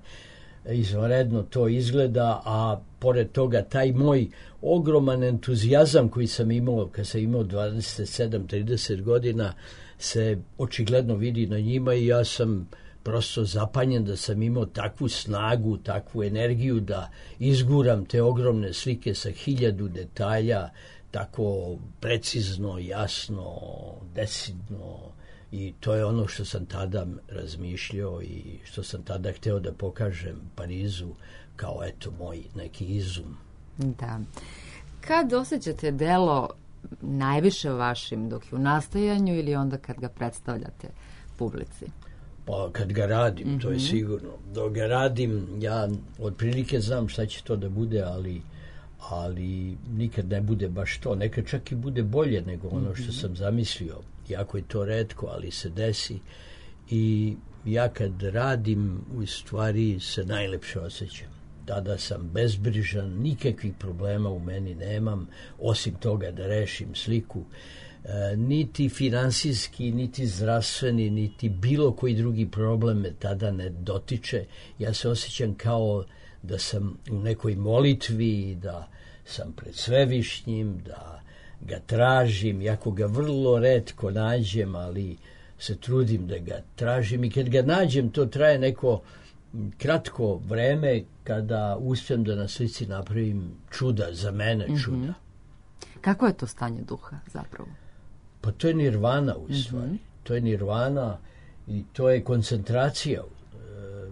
izvanredno to izgleda, a pored toga taj moj ogroman entuzijazam koji sam imao kad sam imao dvadeset sedam trideset godina se očigledno vidi na njima i ja sam prosto zapanjen da sam imao takvu snagu, takvu energiju da izguram te ogromne slike sa hiljadu detalja, tako precizno, jasno, decidno, i to je ono što sam tada razmišljao i što sam tada hteo da pokažem Parizu kao eto moj neki izum. Da. Kad osjećate delo najviše vašim dok je u nastajanju ili onda kad ga predstavljate publici? Pa kad ga radim, mm-hmm. to je sigurno. Dok ga radim, ja otprilike znam šta će to da bude, ali ali nikad ne bude baš to. Nekad čak i bude bolje nego ono što sam zamislio. Jako je to retko, ali se desi. I ja kad radim, u stvari se najlepše osjećam. Tada sam bezbrižan, nikakvih problema u meni nemam, osim toga da rešim sliku. E, niti finansijski, niti zdravstveni, niti bilo koji drugi problem me tada ne dotiče. Ja se osjećam kao da sam u nekoj molitvi, da sam pred Svevišnjim, da ga tražim, jako ga vrlo retko nađem, ali se trudim da ga tražim i kad ga nađem to traje neko kratko vreme kada uspijem da na slici napravim čuda, za mene čuda. Mm-hmm. Kako je to stanje duha zapravo? Pa to je nirvana u stvari. Mm-hmm. To je nirvana i to je koncentracija,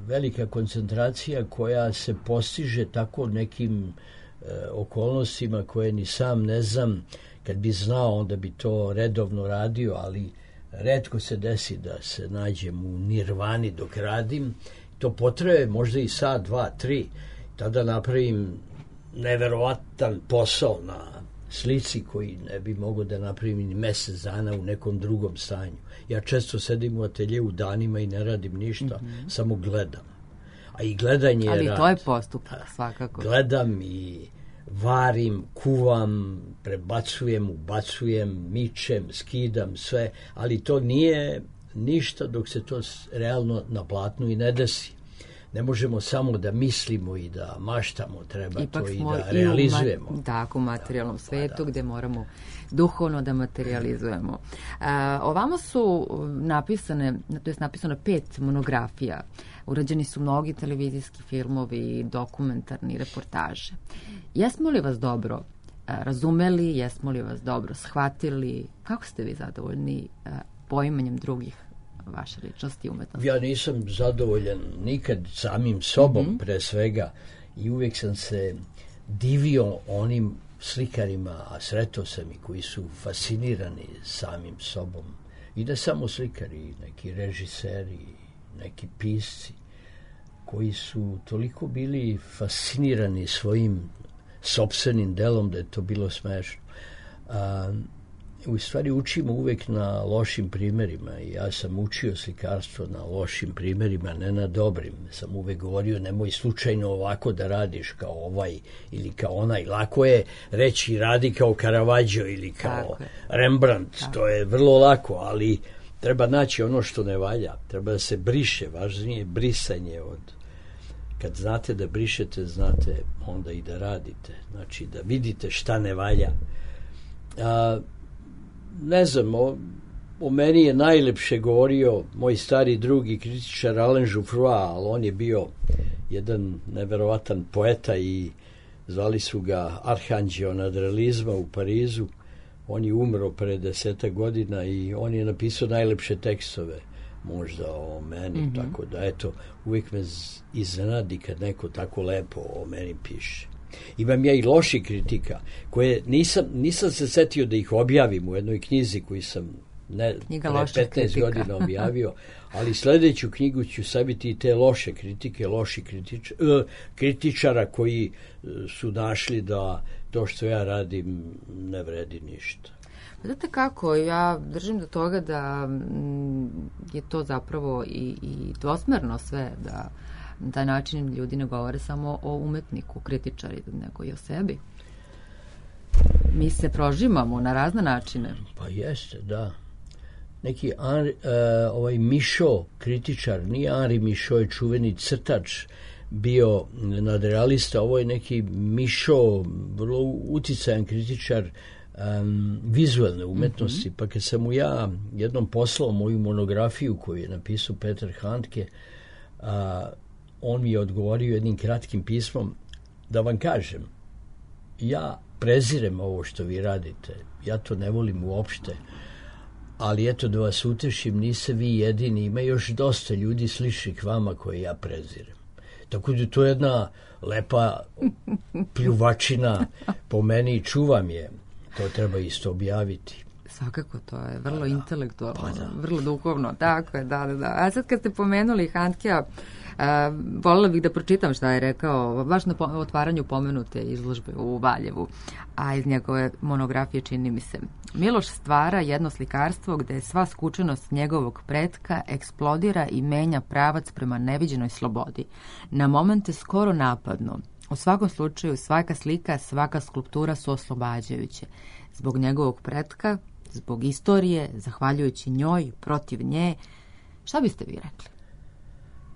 velika koncentracija koja se postiže tako nekim e, okolnostima koje ni sam ne znam. Kad bi znao, onda bi to redovno radio, ali retko se desi da se nađem u nirvani dok radim. To potraje možda i sat, dva, tri. Tada napravim neverovatan posao na slici koji ne bi mogao da napravim ni mesec dana u nekom drugom stanju. Ja često sedim u ateljevu danima i ne radim ništa, mm-hmm. samo gledam. A i gledanje je Ali rad. to je postupak, svakako. Gledam i varim, kuvam, prebacujem, ubacujem, mičem, skidam, sve, ali to nije ništa dok se to realno na platnu i ne desi. ne možemo samo da mislimo i da maštamo, treba Ipak to i smo da i u ma- realizujemo. tako, u materijalnom svetu da. gde moramo duhovno da materializujemo. A, ovamo su napisane, to je napisano pet monografija. Urađeni su mnogi televizijski filmovi, dokumentarni, reportaže. Jesmo li vas dobro a, razumeli, jesmo li vas dobro shvatili? Kako ste vi zadovoljni a, poimanjem drugih vaše ličnosti i umetnosti? Ja nisam zadovoljan nikad samim sobom, pre svega, i uvijek sam se divio onim slikarima, a sretao sam i koji su fascinirani samim sobom. I ne samo slikari, neki režiseri, neki pisci, koji su toliko bili fascinirani svojim sopstvenim delom da je to bilo smešno. A, u stvari učimo uvek na lošim primerima i ja sam učio slikarstvo na lošim primerima, ne na dobrim. Sam uvek govorio nemoj slučajno ovako da radiš kao ovaj ili kao onaj. Lako je reći radi kao Caravaggio ili kao Tako je. Rembrandt, to je vrlo lako, ali treba naći ono što ne valja, treba da se briše, važnije je brisanje od... Kad znate da brišete, znate onda i da radite, znači da vidite šta ne valja. A, ne znam, o, o meni je najlepše govorio moj stari drugi kritičar Alain Jouffroy, ali on je bio jedan neverovatan poeta i zvali su ga Arhanđeo nadrealizma u Parizu. On je umro pre deseta godina i on je napisao najlepše tekstove možda o meni, mm-hmm. tako da eto, uvijek me iznenadi kad neko tako lepo o meni piše. Imam ja i loši kritika, koje nisam, nisam se setio da ih objavim u jednoj knjizi koju sam ne, pre petnaest kritika. Godina objavio, ali sljedeću knjigu ću sabiti i te loše kritike, loši kritič, uh, kritičara koji uh, su našli da to što ja radim ne vredi ništa. Znate kako, ja držim do toga da mm, je to zapravo i, i dvosmerno sve, da na taj način ljudi ne govore samo o umetniku, kritičari, nego i o sebi. Mi se prožimamo na razne načine. Pa jeste, da. Neki Henri, uh, ovaj Michaud, kritičar, nije Henri Michaud, je čuveni crtač, bio nadrealista, ovo je neki Michaud, vrlo uticajan kritičar um, vizualne umetnosti, mm-hmm. pa kad sam mu ja jednom poslao moju monografiju koju je napisao Petar Handke, a, on mi je odgovorio jednim kratkim pismom da vam kažem, ja prezirem ovo što vi radite, ja to ne volim uopšte, ali eto da vas utešim, niste vi jedini, ima još dosta ljudi sličnih vama koje ja prezirem. Tako da to je jedna lepa pljuvačina po meni i čuvam je. To treba isto objaviti. Svakako, to je vrlo pa intelektualno, pa da. vrlo duhovno. Tako je, da, da, da. A sad kad ste pomenuli Handkea, Uh, voljela bih da pročitam šta je rekao baš na otvaranju pomenute izložbe u Valjevu, a iz njegove monografije čini mi se. Miloš stvara jedno slikarstvo gde sva skučenost njegovog pretka eksplodira i menja pravac prema neviđenoj slobodi. Na momente skoro napadno. U svakom slučaju svaka slika, svaka skulptura su oslobađajuće. Zbog njegovog pretka, zbog istorije, zahvaljujući njoj, protiv nje. Šta biste vi rekli?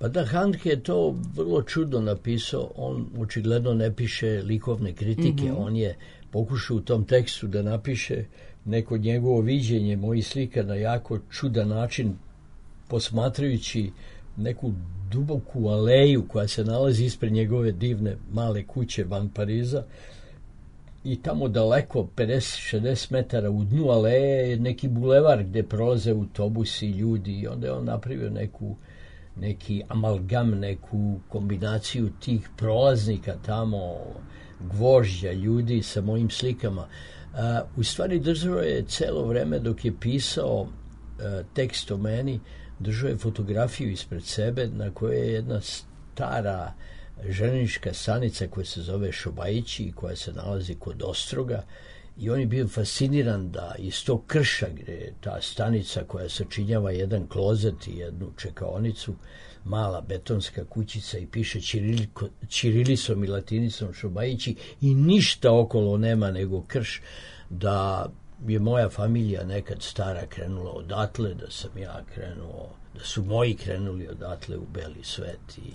Pa da, Handke je to vrlo čudno napisao, on očigledno ne piše likovne kritike, mm-hmm. on je pokušao u tom tekstu da napiše neko njegovo viđenje mojih slika na jako čudan način, posmatrajući neku duboku aleju koja se nalazi ispred njegove divne male kuće van Pariza i tamo daleko pedeset šezdeset metara u dnu aleje je neki bulevar gde prolaze autobusi i ljudi i onda je on napravio neku neki amalgam, neku kombinaciju tih prolaznika tamo, gvožđa ljudi sa mojim slikama. A, u stvari držao je celo vreme dok je pisao a, tekst o meni, držao je fotografiju ispred sebe na kojoj je jedna stara željeznička stanica koja se zove Šobajići i koja se nalazi kod Ostroga i on je bio fasciniran da iz tog krša gdje je ta stanica koja sačinjava jedan klozet i jednu čekaonicu, mala betonska kućica i piše čiriliko, čirilisom i latinicom Šobajići i ništa okolo nema nego krš, da je moja familija nekad stara krenula odatle, da sam ja krenuo, da su moji krenuli odatle u beli svet i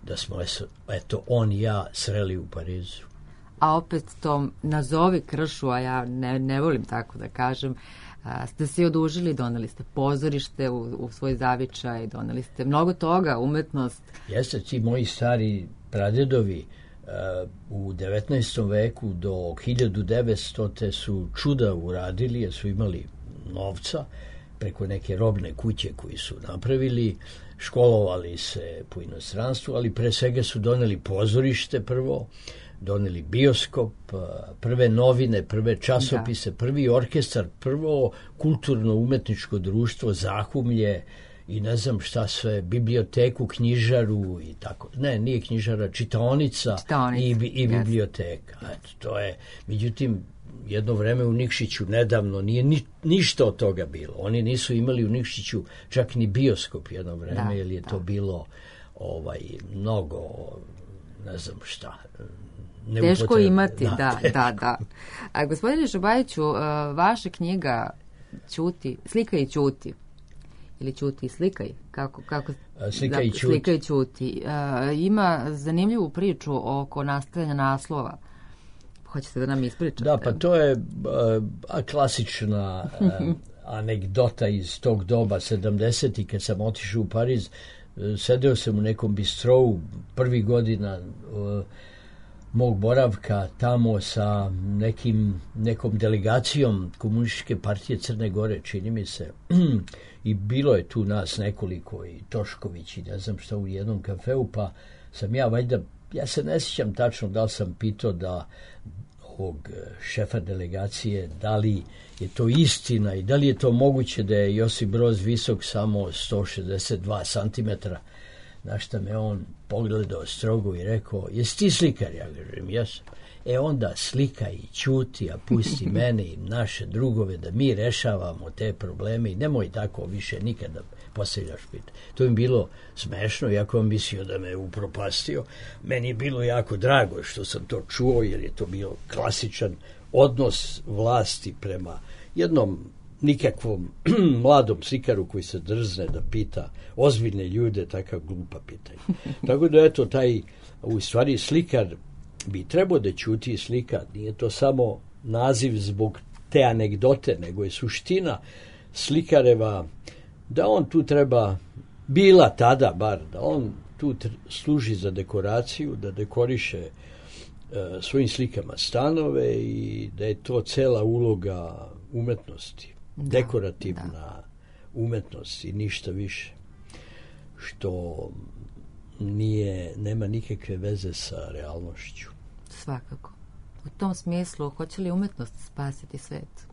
da smo, es- eto, on i ja sreli u Parizu. A opet to nazovi kršu, a ja ne, ne volim tako da kažem, a, ste se odužili, doneli ste pozorište u, u svoj zavičaj, doneli ste mnogo toga, umetnost. Jeste, ti moji stari pradjedovi uh, u devetnaestom veku do hiljadu devetsto su čuda uradili, jer su imali novca preko neke robne kuće koji su napravili, školovali se po inostranstvu, ali pre svega su doneli pozorište prvo, doneli bioskop, prve novine, prve časopise, da. Prvi orkestar, prvo kulturno-umetničko društvo, Zahumlje i ne znam šta sve, biblioteku, knjižaru i tako. Ne, nije knjižara, čitaonica, čitaonica i, i biblioteka. Eto, to je, međutim, jedno vreme u Nikšiću nedavno nije ni, ništa od toga bilo. Oni nisu imali u Nikšiću čak ni bioskop jedno vreme, da, jer je da. to bilo ovaj, mnogo, ne znam šta, teško imati, da, da, da, da. A, gospodine Šobajiću, vaša knjiga Ćuti, Slika i Ćuti, ili Ćuti i slikaj, kako, kako, Slika da, i Ćuti, Slika i Ćuti. A, ima zanimljivu priču oko nastajanja naslova. Hoćete da nam ispričate? Da, pa to je a, klasična a, anegdota iz tog doba, sedamdesetih, kad sam otišao u Pariz, sedeo sam u nekom bistrovu prvi godina a, mog boravka tamo sa nekim, nekom delegacijom Komunističke partije Crne Gore, čini mi se, i bilo je tu nas nekoliko, i Tošković i ne znam šta, u jednom kafeu, pa sam ja valjda, ja se ne sjećam tačno da li sam pitao da ovog šefa delegacije, da li je to istina i da li je to moguće da je Josip Broz visok samo sto šezdeset dva centimetra, na šta me on pogledao strogo i rekao, jesi ti slikar? Ja kažem, jesam. E onda slikaj i ćuti, a pusti mene i naše drugove da mi rešavamo te probleme i nemoj tako više nikada postavljaš pitanje. To im bilo smešno, iako on mislio da me upropastio. Meni je bilo jako drago što sam to čuo, jer je to bio klasičan odnos vlasti prema jednom nikakvom mladom slikaru koji se drzne da pita ozbiljne ljude takav glupa pitanja. Tako da eto, taj, u stvari slikar bi trebao da ćuti i slika. Nije to samo naziv zbog te anegdote, nego je suština slikareva da on tu treba, bila tada bar, da on tu služi za dekoraciju, da dekoriše e, svojim slikama stanove i da je to cela uloga umetnosti. Da, dekorativna da. umetnost i ništa više, što nije, nema nikakve veze sa realnošću. Svakako. U tom smislu, hoće li umetnost spasiti svet?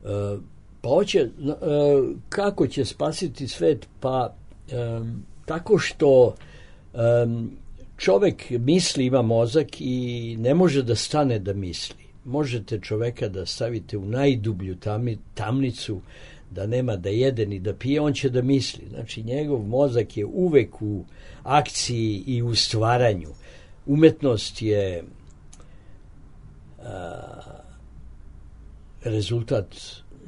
E, pa hoće, e, kako će spasiti svet? Pa e, tako što e, čovek misli, ima mozak i ne može da stane da misli. Možete čoveka da stavite u najdublju tamni, tamnicu, da nema da jede ni da pije, on će da misli. Znači, njegov mozak je uvek u akciji i u stvaranju. Umetnost je a, rezultat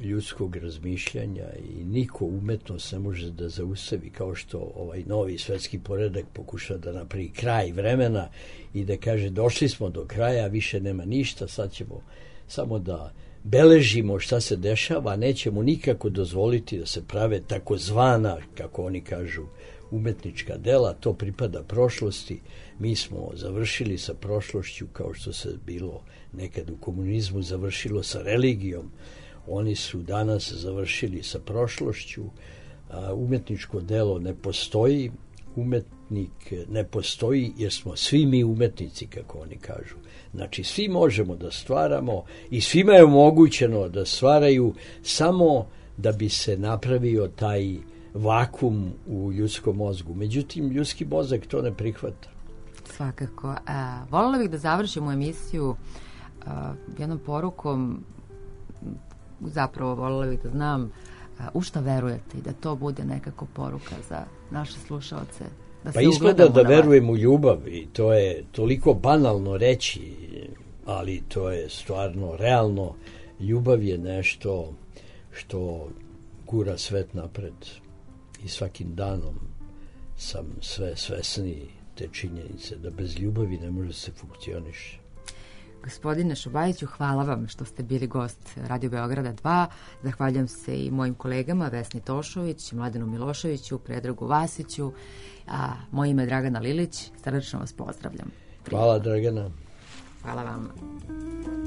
ljudskog razmišljanja i niko umetnost ne može da zaustavi, kao što ovaj novi svetski poredak pokuša da napravi kraj vremena i da kaže došli smo do kraja, više nema ništa, sad ćemo samo da beležimo šta se dešava, a nećemo nikako dozvoliti da se prave takozvana, kako oni kažu, umetnička dela, to pripada prošlosti. Mi smo završili sa prošlošću kao što se bilo nekad u komunizmu završilo sa religijom. Oni su danas završili sa prošlošću. A, umetničko delo ne postoji, umetnik ne postoji jer smo svi mi umetnici, kako oni kažu. Znači, svi možemo da stvaramo i svima je omogućeno da stvaraju samo da bi se napravio taj vakum u ljudskom mozgu. Međutim, ljudski mozak to ne prihvata. Svakako. A, voljela bih da završimo emisiju a, jednom porukom, zapravo voljela bih da znam a, u šta verujete i da to bude nekako poruka za naše slušaoce. Da pa izgleda da verujem u ljubav i to je toliko banalno reći, ali to je stvarno realno. Ljubav je nešto što gura svet napred i svakim danom sam sve svesniji te činjenice da bez ljubavi ne može se funkcioniše. Gospodine Šobajiću, hvala vam što ste bili gost Radio Beograda dva. Zahvaljujem se i mojim kolegama Vesni Tošović, Mladenu Miloševiću, Predragu Vasiću, a moje ime je Dragana Lilić. Srdačno vas pozdravljam. Hvala, Dragana. Hvala vam.